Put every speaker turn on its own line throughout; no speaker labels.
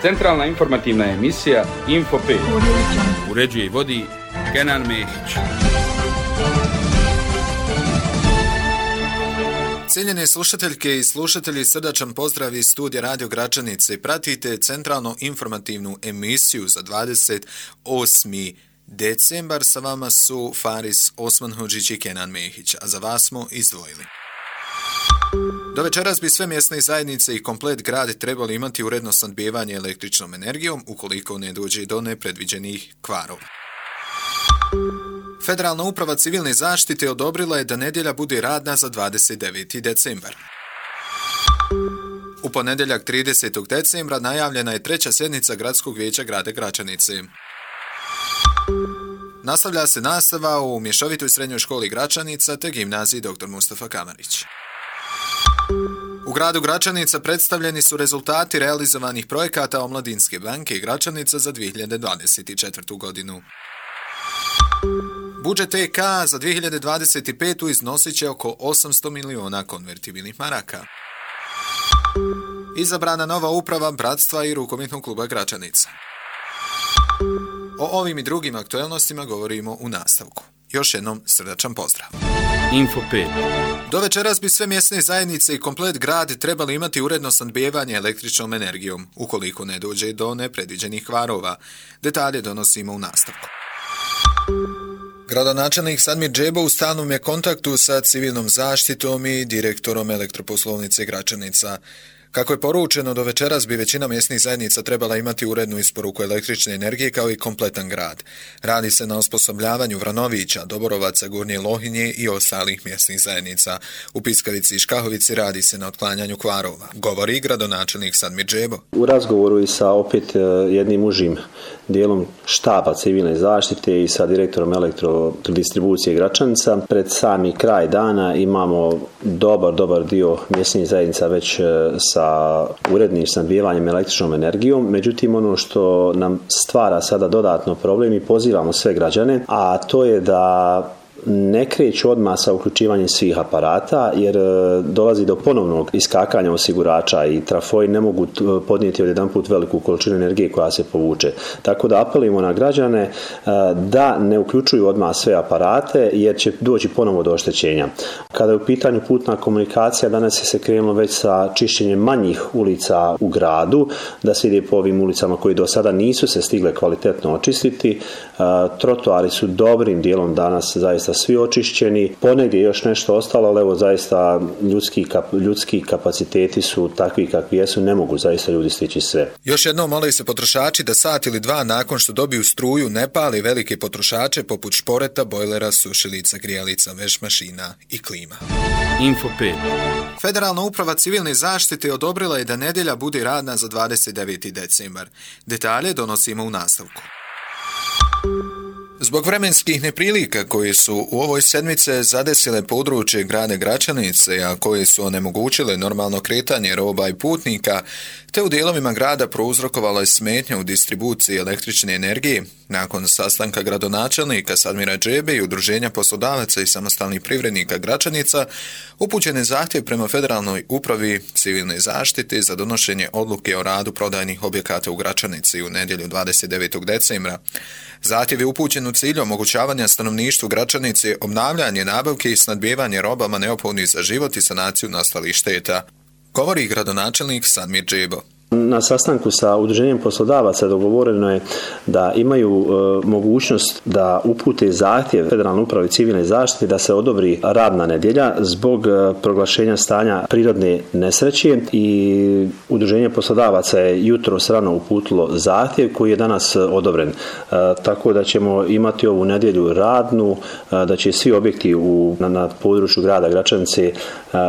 Centralna informativna emisija Info 5. Uređuje i vodi Kenan Mehić.
Cijenjene slušateljke i slušatelji, srdačan pozdrav iz studija Radio Gračanice. Pratite centralno informativnu emisiju za 28. decembar. Sa vama su Faris Osmanhodžić i Kenan Mehić, a za vas smo izdvojili. Do večeras bi sve mjesne zajednice i komplet grad trebali imati uredno snabdijevanje električnom energijom ukoliko ne dođe do nepredviđenih kvarova. Federalna uprava civilne zaštite odobrila je da nedjelja bude radna za 29. decembar. U ponedjeljak 30. decembra najavljena je treća sjednica Gradskog vijeća grada Gračanice. Nastavlja se nastava u mješovitoj srednjoj školi Gračanica te gimnaziji dr. Mustafa Kamarić. U gradu Gračanica predstavljeni su rezultati realizovanih projekata Omladinske banke i Gračanica za 2024. godinu. Budžet EK za 2025. iznosit će oko 800 miliona konvertibilnih maraka. Izabrana nova uprava Bratstva i rukometnog kluba Gračanica. O ovim i drugim aktuelnostima govorimo u nastavku. Još jednom srdačan pozdrav.
Info 5.
Do večeras bi sve mjesne zajednice i komplet grad trebali imati uredno snabdijevanje električnom energijom, ukoliko ne dođe do nepredviđenih kvarova. Detalje donosimo u nastavku. Gradonačelnik Sadmir Džebo u stalnom je kontaktu sa civilnom zaštitom i direktorom elektroposlovnice Gračanica. Kako je poručeno, do večeras bi većina mjesnih zajednica trebala imati urednu isporuku električne energije kao i kompletan grad. Radi se na osposobljavanju Vranovića, Doborovaca, Gornje Lohinje i ostalih mjesnih zajednica. U Piskavici i Škahovici radi se na otklanjanju kvarova, govori gradonačelnik Sadmir Džebo.
U razgovoru i sa opet jednim užim dijelom štaba civilne zaštite i sa direktorom elektrodistribucije Gračanica, pred sami kraj dana imamo dobar dio mjesnih zajednica već sa urednim snabdijevanjem električnom energijom. Međutim, ono što nam stvara sada dodatno problem i pozivamo sve građane, a to je da ne kreću odmah sa uključivanjem svih aparata, jer dolazi do ponovnog iskakanja osigurača i trafoi ne mogu podnijeti odjedanput veliku količinu energije koja se povuče. Tako da apelujemo na građane da ne uključuju odmah sve aparate, jer će doći ponovo do oštećenja. Kada je u pitanju putna komunikacija, danas je se krenulo već sa čišćenjem manjih ulica u gradu, da se ide po ovim ulicama koji do sada nisu se stigle kvalitetno očistiti. Trotoari su dobrim dijelom danas zaista svi očišćeni, ponegdje još nešto ostalo, ali evo zaista ljudski kapaciteti su takvi kakvi jesu, ne mogu zaista ljudi stići sve.
Još jednom mole se potrošači da sat ili dva nakon što dobiju struju ne pali velike potrošače poput šporeta, bojlera, sušilica, grijalica, veš mašina i klima.
Info 5.
Federalna uprava civilne zaštite odobrila je da nedjelja bude radna za 29. decembar. Detalje donosimo u nastavku. Zbog vremenskih neprilika koje su u ovoj sedmice zadesile područje grada Gračanice, a koje su onemogućile normalno kretanje roba i putnika, te u dijelovima grada prouzrokovala je smetnja u distribuciji električne energije, nakon sastanka gradonačelnika Sadmira Džebe i Udruženja poslodavaca i samostalnih privrednika Gračanica, upućen je zahtjev prema Federalnoj upravi civilne zaštite za donošenje odluke o radu prodajnih objekata u Gračanici u nedjelju 29. decembra. Zahtjev je upućen u cilju omogućavanja stanovništvu Gračanice obnavljanje nabavke i snabdijevanje robama neophodnih za život i sanaciju nastalih šteta, govori gradonačelnik Sadmir Džebo.
Na sastanku sa Udruženjem poslodavaca dogovoreno je da imaju mogućnost da upute zahtjev Federalnoj upravi civilne zaštite da se odobri radna nedjelja zbog proglašenja stanja prirodne nesreće, i Udruženje poslodavaca je jutros rano uputilo zahtjev koji je danas odobren. Tako da ćemo imati ovu nedjelju radnu, da će svi objekti na području grada Gračanice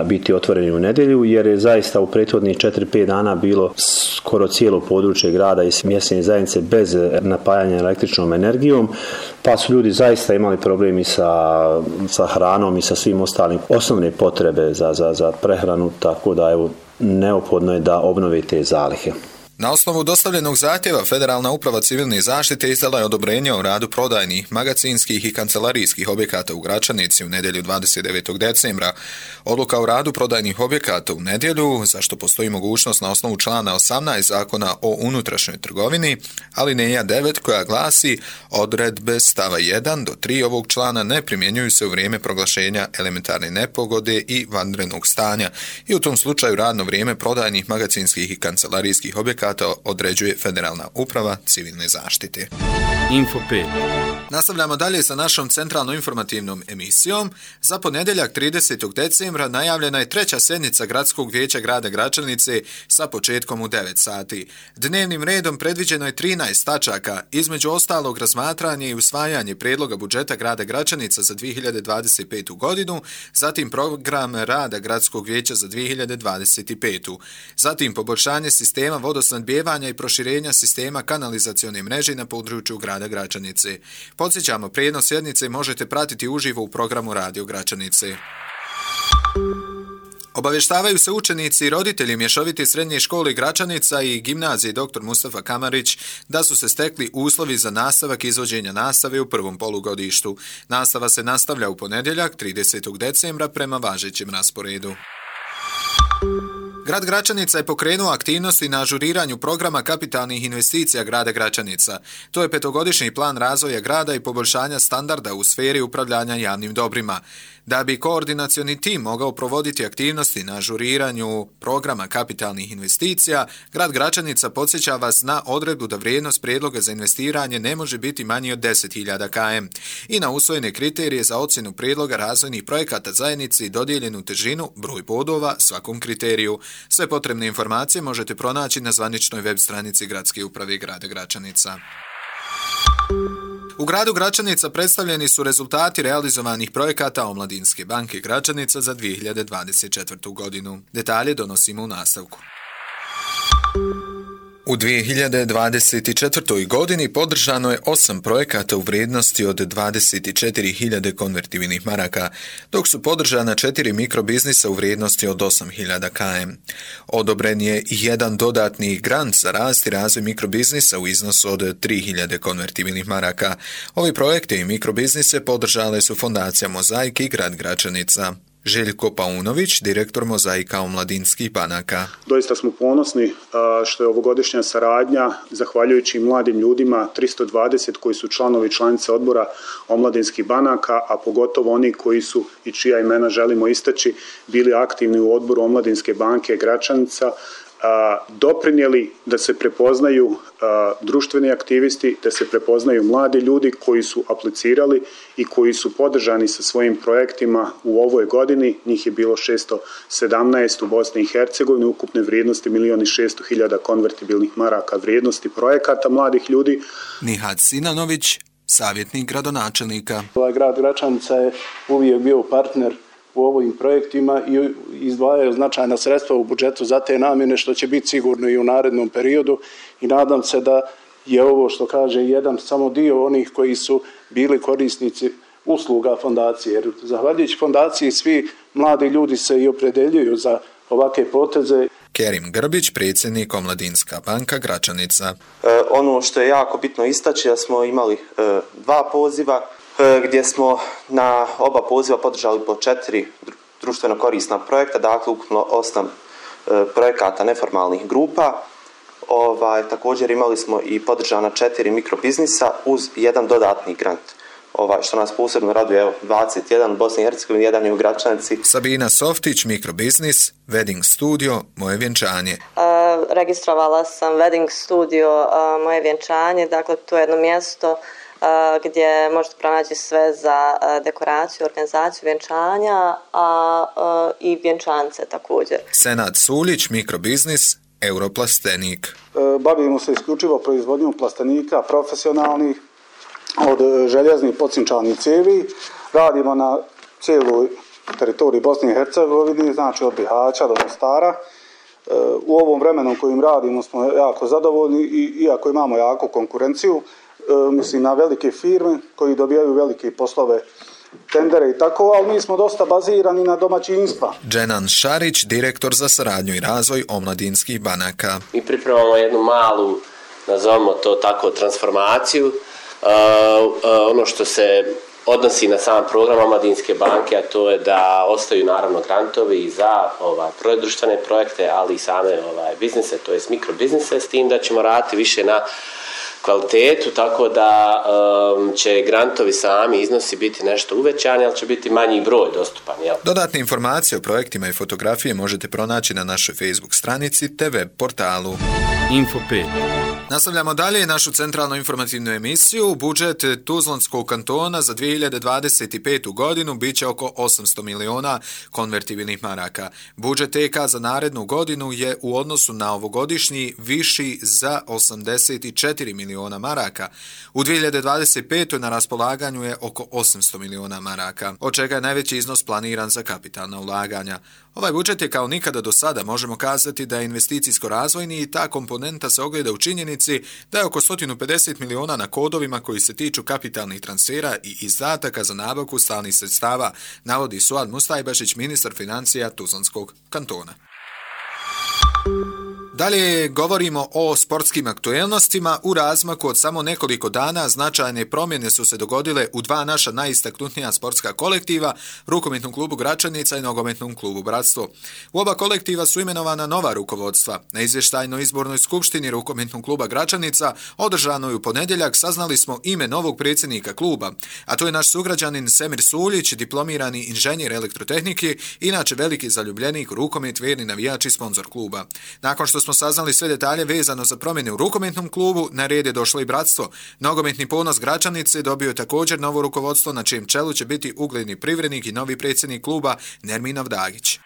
biti otvoreni u nedjelju, jer je zaista u prethodnih 4-5 dana bilo skoro cijelo područje grada i mjesne zajednice bez napajanja električnom energijom, pa su ljudi zaista imali problemi sa hranom i sa svim ostalim osnovne potrebe za prehranu, tako da evo neophodno je da obnove te zalihe.
Na osnovu dostavljenog zahtjeva Federalna uprava civilne zaštite izdala je odobrenje o radu prodajnih, magacinskih i kancelarijskih objekata u Gračanici u nedjelju 29. decembra. Odluka o radu prodajnih objekata u nedjelju, za što postoji mogućnost na osnovu člana 18 Zakona o unutrašnjoj trgovini, alineja 9 koja glasi: odredbe stava 1 do 3 ovog člana ne primjenjuju se u vrijeme proglašenja elementarne nepogode i vanrednog stanja i u tom slučaju radno vrijeme prodajnih, magacinskih i kancelarijskih objekata određuje Federalna uprava civilne zaštite.
Info 5.
Nastavljamo dalje sa našom centralno informativnom emisijom. Za ponedjeljak 30. decembra najavljena je treća sjednica Gradskog vijeća grada Gračanice sa početkom u 9 sati. Dnevnim redom predviđeno je 13 tačaka, između ostalog razmatranje i usvajanje prijedloga budžeta grada Gračanica za 2025. godinu, zatim program rada Gradskog vijeća za 2025. Zatim poboljšanje sistema vodosnadbijevanja i proširenja sistema kanalizacione mreže na području grada Gračanice. Podsjećamo, prijenos sjednice možete pratiti uživo u programu Radio Gračanice. Obavještavaju se učenici i roditelji mješovite srednje škole Gračanica i gimnazije dr. Mustafa Kamarić da su se stekli uslovi za nastavak izvođenja nastave u prvom polugodištu. Nastava se nastavlja u ponedjeljak 30. decembra prema važećem rasporedu. Grad Gračanica je pokrenuo aktivnosti na ažuriranju programa kapitalnih investicija grada Gračanica. To je 5-godišnji plan razvoja grada i poboljšanja standarda u sferi upravljanja javnim dobrima. Da bi koordinacioni tim mogao provoditi aktivnosti na ažuriranju programa kapitalnih investicija, grad Gračanica podsjeća vas na odredbu da vrijednost prijedloga za investiranje ne može biti manji od 10.000 km i na usvojene kriterije za ocjenu prijedloga razvojnih projekata zajednici i dodijeljenu težinu, broj bodova svakom kriteriju. Sve potrebne informacije možete pronaći na zvaničnoj web stranici Gradske uprave grada Gračanica. U gradu Gračanica predstavljeni su rezultati realizovanih projekata Omladinske banke Gračanica za 2024. godinu. Detalje donosimo u nastavku. U 2024. godini podržano je 8 projekata u vrijednosti od 24.000 konvertibilnih maraka, dok su podržana 4 mikrobiznisa u vrijednosti od 8.000 km. Odobren je jedan dodatni grant za rast i razvoj mikrobiznisa u iznosu od 3.000 konvertibilnih maraka. Ovi projekte i mikrobiznise podržale su Fondacija Mozaik i grad Gračanica. Željko Paunović, direktor Mozaika omladinskih banaka.
Doista smo ponosni što je ovogodišnja saradnja, zahvaljujući mladim ljudima, 320 koji su članovi i članice odbora omladinskih banaka, a pogotovo oni koji su, i čija imena želimo istaći, bili aktivni u odboru Omladinske banke Gračanica, doprinijeli da se prepoznaju društveni aktivisti, da se prepoznaju mladi ljudi koji su aplicirali i koji su podržani sa svojim projektima u ovoj godini. Njih je bilo 617 u Bosni i Hercegovini, ukupne vrijednosti 1.600.000 konvertibilnih maraka vrijednosti projekata mladih ljudi.
Nihat Sinanović, savjetnik gradonačelnika.
Ovaj grad Gračanica je uvijek bio partner u ovim projektima i izdvajaju značajna sredstva u budžetu za te namjene, što će biti sigurno i u narednom periodu, i nadam se da je ovo, što kaže, jedan samo dio onih koji su bili korisnici usluga fondacije. Jer zahvaljujući fondaciji svi mladi ljudi se i opredjeljuju za ovakve poteze.
Kerim Grbić, predsjednik Omladinska banka Gračanica.
Ono što je jako bitno istaći, da smo imali 2 poziva, gdje smo na oba poziva podržali po 4 društveno korisna projekta, dakle ukupno 8 projekata neformalnih grupa. Također imali smo i podržana 4 mikrobiznisa uz jedan dodatni grant. Što nas posebno raduje, 21 u Bosni i Hercegovini, jedan je u Gračanici.
Sabina Softić, mikrobiznis, Wedding Studio, Moje vjenčanje.
Registrovala sam Wedding Studio, Moje vjenčanje, dakle to je jedno mjesto gdje možete pronaći sve za dekoraciju, organizaciju vjenčanja, i vjenčance također.
Senad Sulić, mikrobiznis, Europlastenik.
Bavimo se isključivo proizvodnjom plastenika profesionalnih, od željeznih podsinčanih cijevi. Radimo na cijeloj teritoriji Bosne i Hercegovine, znači od Bihaća do Mostara. U ovom vremenu kojim radimo smo jako zadovoljni, i iako imamo jako konkurenciju, mislim na velike firme koji dobijaju velike poslove
tendere i tako, ali mi smo dosta bazirani na domaćinstva.
Dženan Šarić, direktor za saradnju i razvoj omladinskih banaka.
Mi pripremamo jednu malu, nazovimo to tako, transformaciju. Ono što se odnosi na sam program omladinske banke, a to je da ostaju naravno grantovi za društvene projekte, ali i same biznise, to jest mikrobiznise, s tim da ćemo raditi više na kvalitetu, tako da će grantovi sami iznosi biti nešto uvećani, ali će biti manji broj dostupan. Jel?
Dodatne informacije o projektima i fotografije možete pronaći na našoj Facebook stranici te web portalu.
Info 5.
Nastavljamo dalje našu centralnu informativnu emisiju. Budžet Tuzlanskog kantona za 2025. godinu bit će oko 800 miliona konvertibilnih maraka. Budžet TK za narednu godinu je u odnosu na ovogodišnji viši za 84 miliona maraka. U 2025. na raspolaganju je oko 800 miliona maraka, od čega je najveći iznos planiran za kapitalna ulaganja. Ovaj budžet je kao nikada do sada, možemo kazati da je investicijsko-razvojni i ta komponenta se ogleda u činjenici da je oko 150 miliona na kodovima koji se tiču kapitalnih transfera i izdataka za nabavku stalnih sredstava, navodi Suad Mustajbašić, ministar financija Tuzlanskog kantona. Dalje govorimo o sportskim aktuelnostima. U razmaku od samo nekoliko dana značajne promjene su se dogodile u dva naša najistaknutnija sportska kolektiva, Rukometnom klubu Gračanica i Nogometnom klubu Bratstvo. U oba kolektiva su imenovana nova rukovodstva. Na izvještajnoj izbornoj skupštini Rukometnog kluba Gračanica, održanoj u ponedjeljak, saznali smo ime novog predsjednika kluba, a to je naš sugrađanin Semir Suljić, diplomirani inženjer elektrotehnike, inače veliki zaljubljenik u rukomet, vjerni navijač i sponzor kluba. Nakon što smo saznali sve detalje vezano za promjene u Rukometnom klubu, na red je došlo i Bratstvo. Nogometni Ponos Gračanice dobio je također novo rukovodstvo, na čijem čelu će biti ugledni privrednik i novi predsjednik kluba Nerminov Dagić.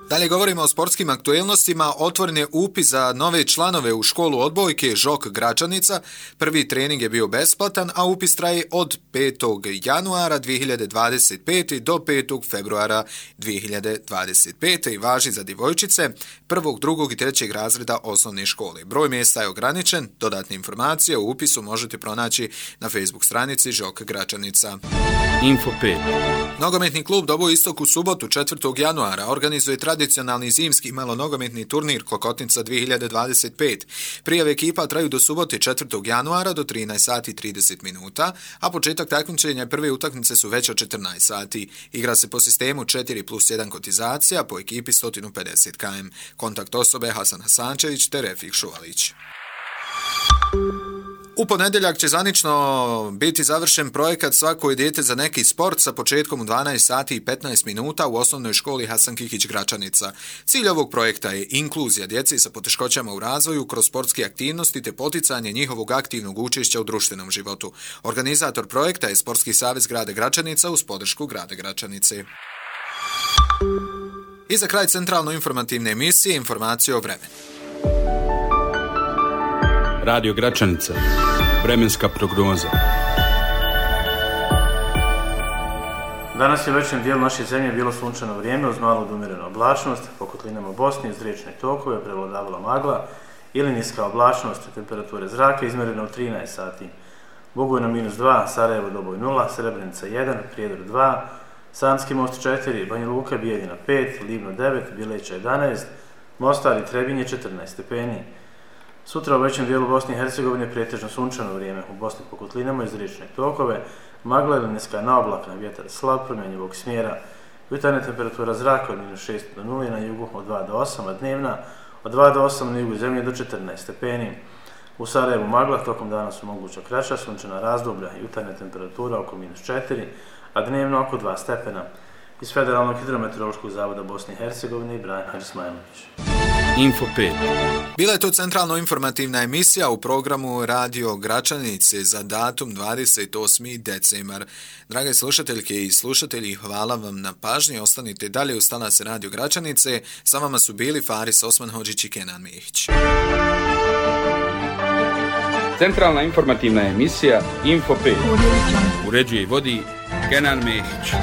Dalje govorimo o sportskim aktuelnostima. Otvoren je upis za nove članove u školu odbojke Žok Gračanica. Prvi trening je bio besplatan, a upis traje od 5. januara 2025. do 5. februara 2025. i važi za djevojčice 1., 2. i 3. razreda osnovne škole. Broj mjesta je ograničen. Dodatne informacije o upisu možete pronaći na Facebook stranici Žok Gračanica.
Info 5.
Nogometni klub Doboj Istok u subotu 4. januara organizuje tradicionalni zimski malonogometni turnir Klokotnica 2025. Prijave ekipa traju do subote 4. januara do 13 sati 30 minuta, a početak takmičenja prve utakmice su već od 14 sati. Igra se po sistemu 4+1 kotizacija, po ekipi 150 km. Kontakt osobe Hasan Hasančević te Refik Šuvalić. U ponedjeljak će zvanično biti završen projekat Svako je dijete za neki sport sa početkom u 12 sati i 15 minuta u osnovnoj školi Hasan Kihić Gračanica. Cilj ovog projekta je inkluzija djece sa poteškoćama u razvoju kroz sportske aktivnosti te poticanje njihovog aktivnog učešća u društvenom životu. Organizator projekta je Sportski savez grada Gračanica uz podršku grada Gračanice. I za kraj centralno informativne emisije informacije o vremenu.
Radio Gračanica. Vremenska prognoza.
Danas je u većem dijelu naše zemlje bilo sunčano vrijeme uz malo odumjerenu oblačnost, po kotlinama Bosne uz riječne tokove prevladavala magla ili niska oblačnost, temperature zraka izmjerena u 13 sati. Bugojno -2, Sarajevo Doboj 0, Srebrenica 1, Prijedor 2, Sanski Most 4, Banja Luka Bijeljina 5, Livno 9, Bileća 11, Mostar i Trebinje 14 stepeni. Sutra u većem dijelu Bosne i Hercegovine pretežno sunčano vrijeme, u Bosni po kotlinama iz riječne tokove, magla ili niska naoblaka, vjetar slab promjenjivog smjera, jutarnja temperatura zraka od -6 do 0 na jugu od 2 do 8, a dnevna od 2 do 8 na jugu zemlje do 14 stepeni. U Sarajevu magla, tokom dana su moguća kraća sunčana razdoblja, jutarnja temperatura oko -4, a dnevno oko 2 stepena. Iz Federalnog hidrometeorološkog zavoda Bosne i Hercegovine Ibrahim Hadžismajlović.
Info 5.
Bila je to centralno informativna emisija u programu Radio Gračanice za datum 28. decembar. Drage slušateljke i slušatelji, hvala vam na pažnji. Ostanite dalje uz talase Radio Gračanice. Sa vama su bili Faris Osmanhodžić i Kenan Mehić.
Centralna informativna emisija Info 5. Uređuje i vodi Kenan Mehić.